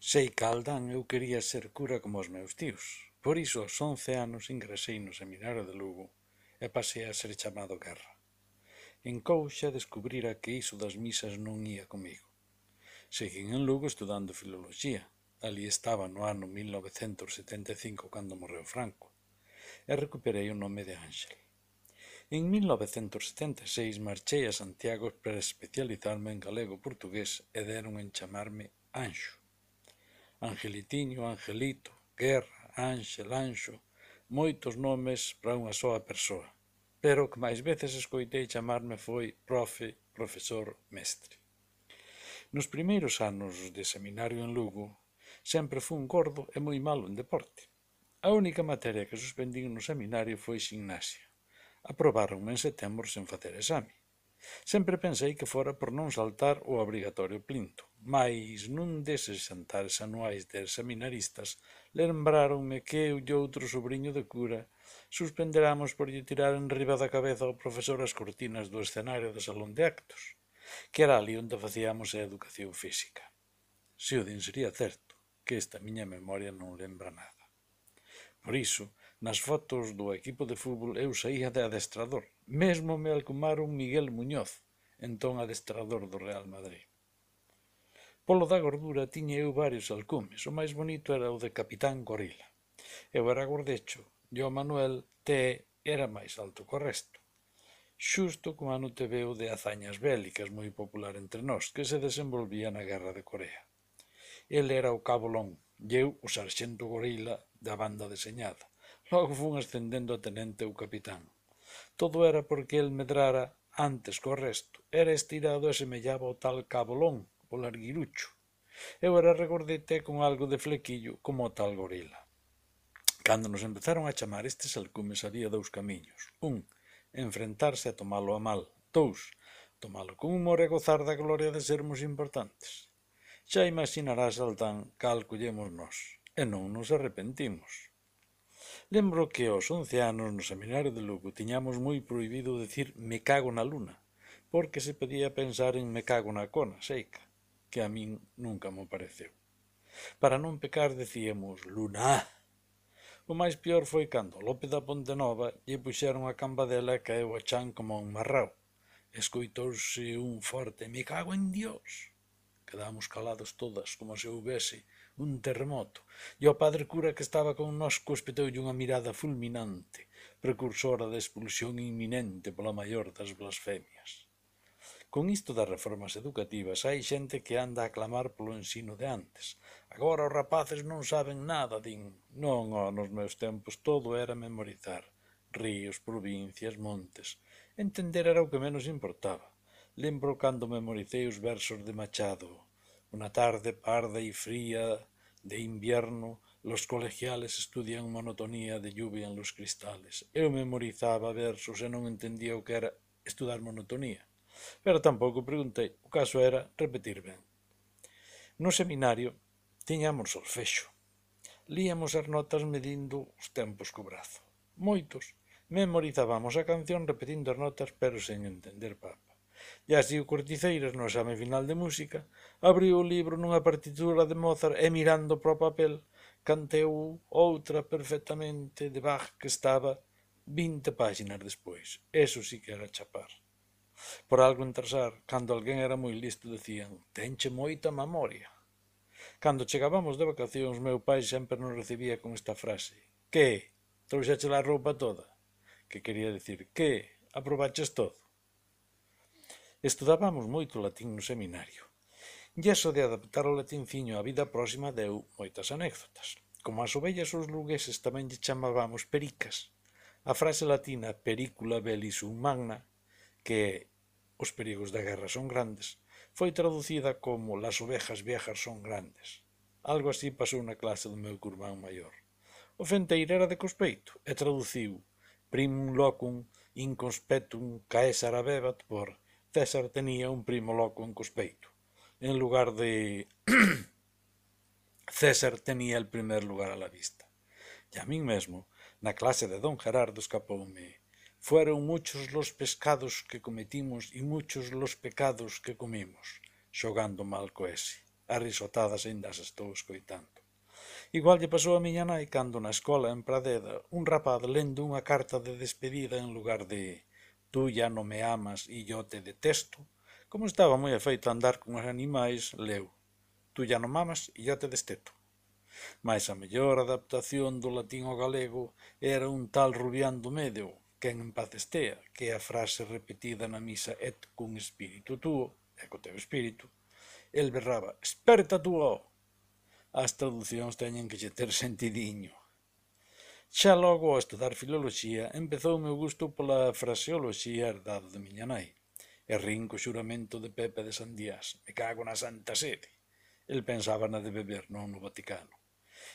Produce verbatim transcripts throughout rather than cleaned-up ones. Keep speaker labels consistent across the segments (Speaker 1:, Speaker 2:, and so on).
Speaker 1: Sei que a aldán eu quería ser cura como os meus tíos. Por iso aos once anos ingresei no seminario de Lugo e pasei a ser chamado Guerra. En Couxa descubrira que iso das misas non ía comigo. Seguín en Lugo estudando filoloxía. Ali estaba no ano mil novecentos setenta e cinco cando morreu Franco. E recuperei o nome de Ángel. En mil novecentos setenta e seis marchei a Santiago para especializarme en galego-portugués e deron en chamarme Anxo. Angelitiño, Angelito, Guerra, Ángel, Anxo, moitos nomes para unha soa persoa, pero o que máis veces escoitei chamarme foi profe, profesor, mestre. Nos primeiros anos de seminario en Lugo, sempre fun gordo e moi malo en deporte. A única materia que suspendín no seminario foi ximnasia. Aprobáronme en setembro sen facer exame. Sempre pensei que fora por non saltar o obrigatorio plinto, mais nun deses xantares anuais de seminaristas lembráronme que eu e outro sobrinho de cura suspenderamos por lle tirar enriba da cabeza ao profesor as cortinas do escenario do salón de actos, que era ali onde facíamos a educación física. Se o din sería certo, que esta miña memoria non lembra nada. Por iso, nas fotos do equipo de fútbol eu saía de adestrador. Mesmo me alcumaron Miguel Muñoz, entón adestrador do Real Madrid. Polo da gordura tiña eu varios alcumes. O máis bonito era o de Capitán Gorila. Eu era gordecho e o Manuel T era máis alto que o resto. Xusto como ano te veo de hazañas bélicas moi popular entre nós, que se desenvolvía na Guerra de Corea. El era o Cabo Long e eu o sarxento gorila da banda deseñada. Logo fun ascendendo a tenente ou capitán. Todo era porque el medrara antes co resto. Era estirado e semellaba o tal Cabo Long, o larguirucho. Eu era regordete con algo de flequillo como o tal gorila. Cando nos empezaron a chamar estes alcumes había dous camiños. Un, enfrentarse a tomalo a mal. Dous, tomalo con humor e gozar da gloria de sermos importantes. Xa imaginarás, Altán, cal collemos nós, e non nos arrepentimos. Lembro que aos once anos no seminario de Lugo tiñamos moi prohibido decir me cago na luna, porque se podía pensar en me cago na cona seica, que a min nunca me pareceu. Para non pecar decíamos luna. O máis peor foi cando Lope da Pontenova lle puxeron a cambadela e caeu a chan como un marrao. Escoitouse un forte me cago en Dios. Quedamos calados todas, como se houbese un terremoto, e o padre cura que estaba con nós cospetoulle unha mirada fulminante, precursora da expulsión inminente pola maior das blasfemias. Con isto das reformas educativas hai xente que anda a clamar polo ensino de antes. Agora os rapaces non saben nada, din. Non, ó, nos meus tempos todo era memorizar. Ríos, provincias, montes. Entender era o que menos importaba. Lembro cando memoricei os versos de Machado. Una tarde parda y fría de invierno, los colegiales estudian monotonía de lluvia en los cristales. Eu memorizaba versos e non entendía o que era estudar monotonía. Pero tampouco preguntei, o caso era repetir ben. No seminario tiñamos solfexo. Líamos as notas medindo os tempos co brazo. Moitos memorizábamos a canción repetindo as notas pero sen entender papa. E así o Corticeiras, no exame final de música, abriu o libro nunha partitura de Mozart e mirando para o papel canteu outra perfectamente de Bach que estaba vinte páxinas despois. Eso sí que era chapar. Por algo entrasar, cando alguén era moi listo, decían «Tenche moita memoria». Cando chegábamos de vacacións, meu pai sempre nos recibía con esta frase «Que? Trouxeche a roupa toda?» Que quería dicir «Que? Aprobaches todo?» Estudábamos moito latín no seminario. E iso de adaptar o latinciño á vida próxima deu moitas anécdotas. Como as ovellas os lugueses tamén lle chamábamos pericas. A frase latina pericula belli sum magna, que os perigos da guerra son grandes, foi traducida como las ovejas viejas son grandes. Algo así pasou na clase do meu curmán maior. O fenteiro era de Cospeito e traduciu primum locum in conspectum Caesar habebat por César tenía un primo loco en Cospeito, en lugar de César tenía el primer lugar a la vista. E a min mesmo, na clase de don Gerardo escapoume fueron muchos los pescados que cometimos y muchos los pecados que comimos, xogando mal co ese. a risotadas aínda as estou escoitando. Igual lle pasou a miña nai cando na escola en Pradeda un rapaz lendo unha carta de despedida en lugar de «Tú ya no me amas e yo te detesto», como estaba moi afeito a andar con os animais, leu «Tú ya no mamas e yo te desteto». Mais a mellor adaptación do latín ao galego era un tal Rubián do Medio, quen en paz estea, que é a frase repetida na misa et cum espíritu tuo, e co teu espírito, el berraba «Esperta tuo!». As traducións teñen que lle ter sentidiño. Xa logo ao estudar filoloxía empezou o meu gusto pola fraseoloxía herdada de miña nai. E rin co xuramento de Pepe de Sandías, me cago na santa sede. El pensaba na de beber, non no Vaticano.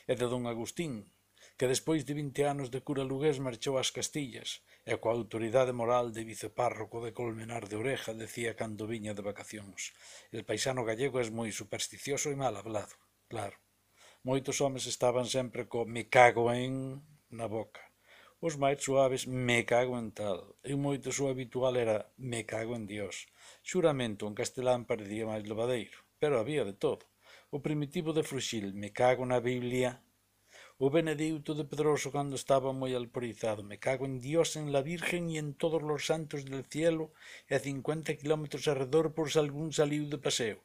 Speaker 1: E de don Agustín, que despois de vinte anos de cura lugués marchou ás Castillas, e coa autoridade moral de vicepárroco de Colmenar de Oreja decía cando viña de vacacións: el paisano gallego é moi supersticioso e mal hablado. Claro, moitos homes estaban sempre co me cago en na boca. Os máis suaves me cago en tal, e moitos o habitual era me cago en Dios. Xuramento en castelán parecía máis levadeiro, pero había de todo. O primitivo de Fruxil, me cago na Biblia. O Benedicto de Pedroso cando estaba moi alporizado, me cago en Dios, en la Virgen e en todos los santos del cielo, e a cincuenta kilómetros arredor por si algún saliu de paseo.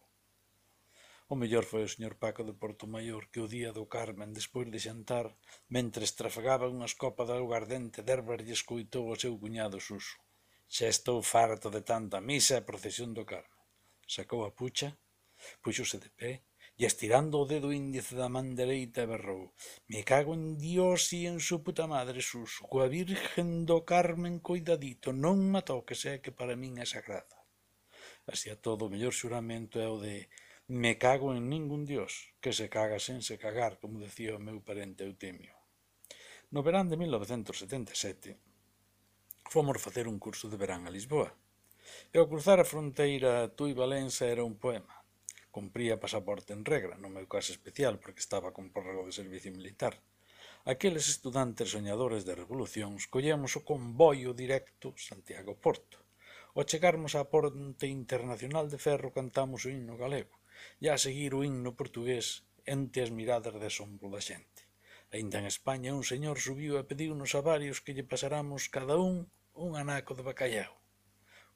Speaker 1: O mellor foi o señor Paco de Portomayor que o día do Carmen, despois de xantar, mentres trafegaba unhas copas de aguardente d'erbas lle escoitou o seu cuñado Suso. Xa estou farto de tanta misa e procesión do Carmen. Sacou a pucha, puxose de pé, e estirando o dedo índice da man dereita berrou: me cago en Dios e en su puta madre Suso, coa Virgen do Carmen coidadito, non me toques, é que para min é sagrada. Así a todo o mellor xuramento é o de me cago en ningún Dios, que se caga sen se cagar, como decía o meu parente Eutemio. No verán de mil novecentos setenta e sete fomos facer un curso de verán a Lisboa, e ao cruzar a fronteira Tui-Valença era un poema. Cumpría pasaporte en regra, no meu caso especial, porque estaba con prórrogo de servicio militar. Aqueles estudantes soñadores de revolucións collemos o convoio directo Santiago-Porto. Ao chegarmos á ponte internacional de ferro cantamos o himno galego, e a seguir o himno portugués entre as miradas de asombro da xente. Aínda en España un señor subiu e pediunos a varios que lle pasáramos cada un un anaco de bacallao.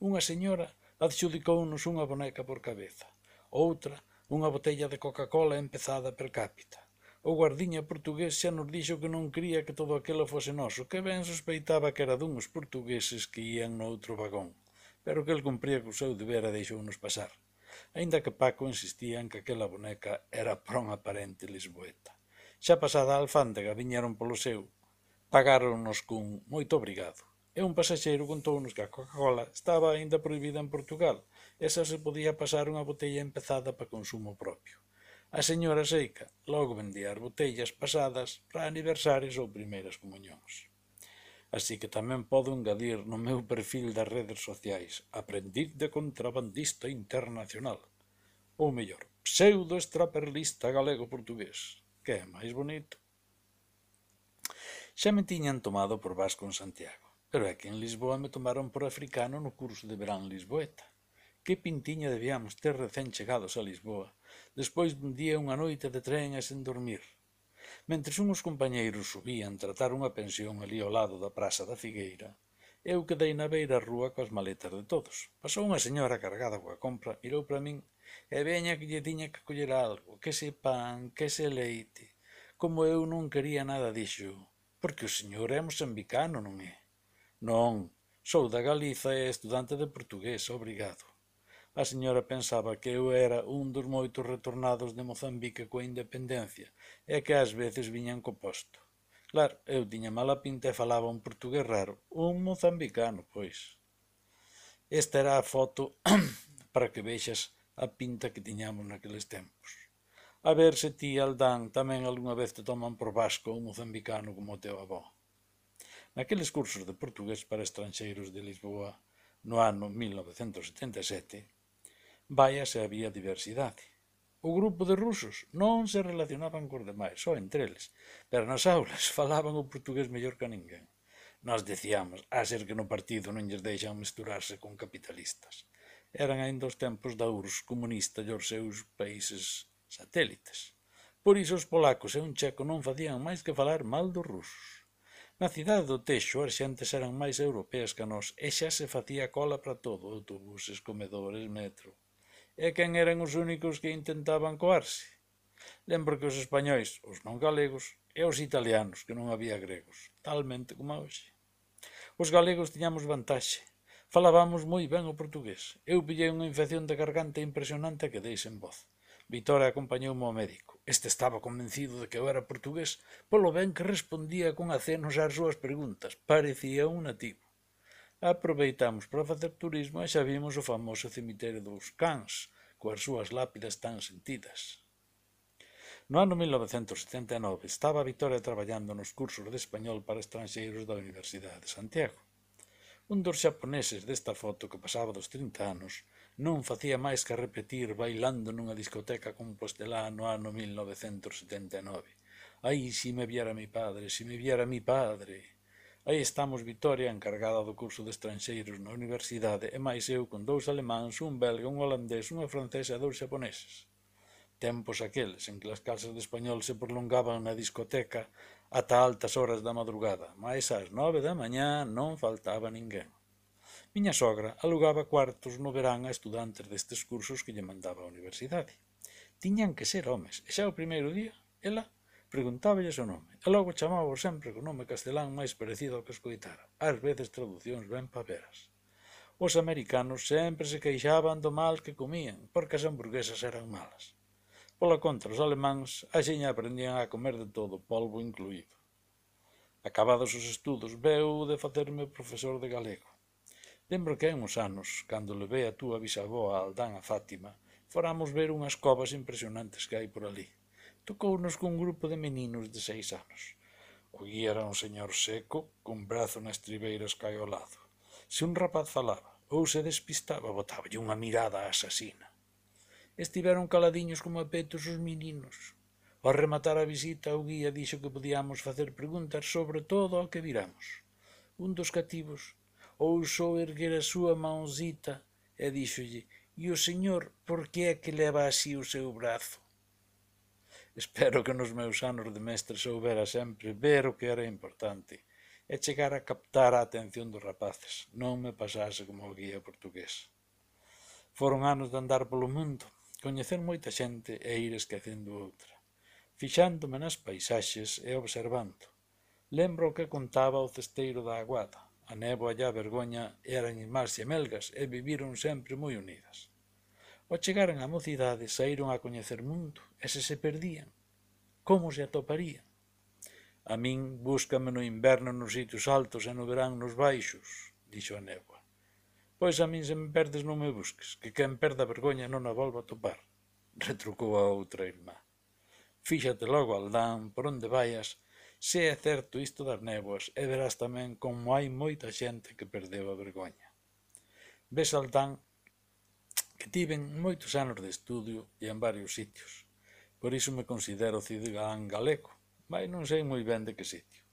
Speaker 1: Unha señora adxudicounos unha boneca por cabeza, outra unha botella de Coca-Cola empezada per cápita. O guardiña portugués xa nos dixo que non quería que todo aquilo fose noso, que ben sospeitaba que era duns portugueses que ían no outro vagón, pero que el cumpría co seu deber e deixounos pasar, aínda que Paco insistía en que aquela boneca era pra unha parente lisboeta. Xa pasada a alfándega viñeron polo seu, pagáronnos cun moito obrigado, e un pasaxeiro contounos que a Coca-Cola estaba aínda prohibida en Portugal, e xa se podía pasar unha botella empezada para consumo propio. A señora Seica logo vendía as botellas pasadas para aniversarios ou primeiras comunións. Así que tamén podo engadir no meu perfil das redes sociais aprendiz de contrabandista internacional, ou mellor, pseudo-extraperlista galego-portugués, que é máis bonito. Xa me tiñan tomado por vasco en Santiago, pero é que en Lisboa me tomaron por africano no curso de verán lisboeta. Que pintiña debíamos ter recén chegados a Lisboa, despois dun día unha noite de tren e sen dormir. Mentres unhos compañeiros subían tratar unha pensión ali ao lado da Praza da Figueira, eu quedei na beira rúa coas maletas de todos. Pasou unha señora cargada coa compra, mirou para min e veña que lle tiña que coller algo, que se pan, que se leite. Como eu non quería nada dixo, porque o señor é mosambicano, non é? Non, sou da Galiza e estudante de portugués, obrigado. A señora pensaba que eu era un dos moitos retornados de Mozambique coa independencia e que ás veces viñan co posto. Claro, eu tiña mala pinta e falaba un portugués raro, un mozambicano, pois. Esta era a foto para que vexas a pinta que tiñamos naqueles tempos. A ver se ti, Aldán, tamén algunha vez te toman por vasco un mozambicano como o teu avó. Naqueles cursos de portugués para estranxeiros de Lisboa, no ano mil novecentos setenta e sete, vaya se había diversidade. O grupo de rusos non se relacionaban cos demais, só entre eles, pero nas aulas falaban o portugués mellor que a ninguén. Nós dicíamos, a ser que no partido non lles deixan mesturarse con capitalistas. Eran aínda os tempos da U R S S comunista e os seus países satélites. Por iso os polacos e un checo non facían máis que falar mal dos rusos. Na cidade do Teixo as xentes eran máis europeas que nós e xa se facía cola para todo, autobuses, comedores, metro. E quen eran os únicos que intentaban coarse? Lembro que os españois, os non galegos, e os italianos, que non había gregos, talmente como hoxe. Os galegos tiñamos vantaxe. Falábamos moi ben o portugués. Eu pillei unha infección de garganta impresionante e quedei sen voz. Vitória acompañoume ao médico. Este estaba convencido de que eu era portugués polo ben que respondía con acenos ás súas preguntas. Parecía un nativo. Aproveitamos para facer turismo e xa vimos o famoso cemiterio dos Cans, coas súas lápidas tan sentidas. No ano mil novecentos setenta e nove estaba Vitoria traballando nos cursos de español para estranxeiros da Universidade de Santiago. Un dos xaponeses desta foto que pasaba dos trinta anos non facía máis que repetir bailando nunha discoteca compostelá no ano mil novecentos setenta e nove. Ai, si me viera mi padre, si me viera mi padre. Aí estamos Vitoria, encargada do curso de estranxeiros na universidade, e máis eu con dous alemáns, un belga, un holandés, unha francesa e dous xaponeses. Tempos aqueles en que as clases de español se prolongaban na discoteca ata altas horas da madrugada, mais ás nove da mañá non faltaba ninguén. Miña sogra alugaba cuartos no verán a estudantes destes cursos que lle mandaba a universidade. Tiñan que ser homes, e xa o primeiro día, ela preguntáballes o nome, e logo chamaba sempre co nome castelán máis parecido ao que escoitara, ás veces traducións ben paveras. Os americanos sempre se queixaban do mal que comían, porque as hamburguesas eran malas. Pola contra, os alemáns axiña aprendían a comer de todo, polvo incluído. Acabados os estudos, veu de facerme profesor de galego. Lembro que hai uns anos, cando levei a túa bisavó a Aldán a Fátima, foramos ver unhas covas impresionantes que hai por ali. Tocounos cun grupo de meninos de seis anos. O guía era un señor seco, cun brazo na estribeira escaiolado. Se un rapaz falaba ou se despistaba, botáballe unha mirada asasina. Estiveron caladiños como a petos os meninos. Ao rematar a visita, o guía dixo que podíamos facer preguntas sobre todo o que viramos. Un dos cativos ousou erguer a súa mãozita e díxolle: «E o señor, por que é que leva así o seu brazo?» Espero que nos meus anos de mestre soubera sempre ver o que era importante e chegar a captar a atención dos rapaces, non me pasase como o guía portugués. Foron anos de andar polo mundo, coñecer moita xente e ir esquecendo outra, fixándome nas paisaxes e observando. Lembro o que contaba o cesteiro da Aguada. A néboa e a vergoña eran irmás xemelgas e viviron sempre moi unidas. Ao chegaren á mocidade, saíron a coñecer mundo, e se se perdían, como se atoparían? A min, búscame no inverno nos sitios altos e no verán nos baixos, dixo a néboa. Pois a min se me perdes non me busques, que quen perda a vergoña non a volva a topar, retrucou a outra irmá. Fíxate logo, Aldán, por onde vaias, se é certo isto das néboas, e verás tamén como hai moita xente que perdeu a vergoña. Ves, Aldán, que tiven moitos anos de estudio e en varios sitios. Por iso me considero cidadán galego, mas non sei moi ben de que sitio.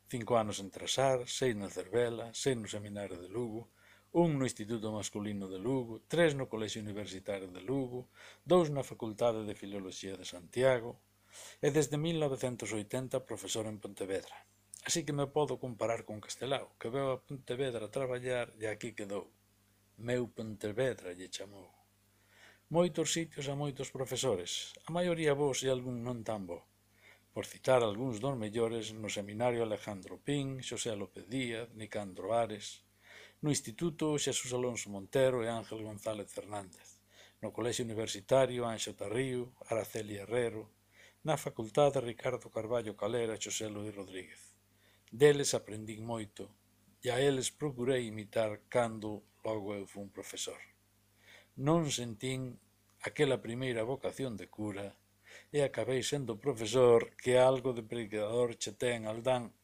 Speaker 1: Cinco anos en Trasar, seis na Cervela, seis no Seminario de Lugo, un no Instituto Masculino de Lugo, tres no Colexio Universitario de Lugo, dous na Facultade de Filoloxía de Santiago, e desde mil novecentos oitenta profesor en Pontevedra. Así que me podo comparar con Castelao, que veu a Pontevedra a traballar e aquí quedou. Meu Pontevedra lle chamou. Moitos sitios a moitos profesores, a maioría bons e algún non tan bo. Por citar algúns dos mellores, no Seminario Alejandro Pín, Xosé López Díaz, Nicandro Ares, no Instituto Xesús Alonso Montero e Ángel González Fernández, no Colexio Universitario Anxo Tarrío, Araceli Herrero, na Facultade Ricardo Carballo Calera e Xosé Luís Rodríguez. Deles aprendín moito e a eles procurei imitar cando logo eu fun profesor. Non sentín aquela primeira vocación de cura e acabei sendo profesor que algo de predicador che ten, Aldán,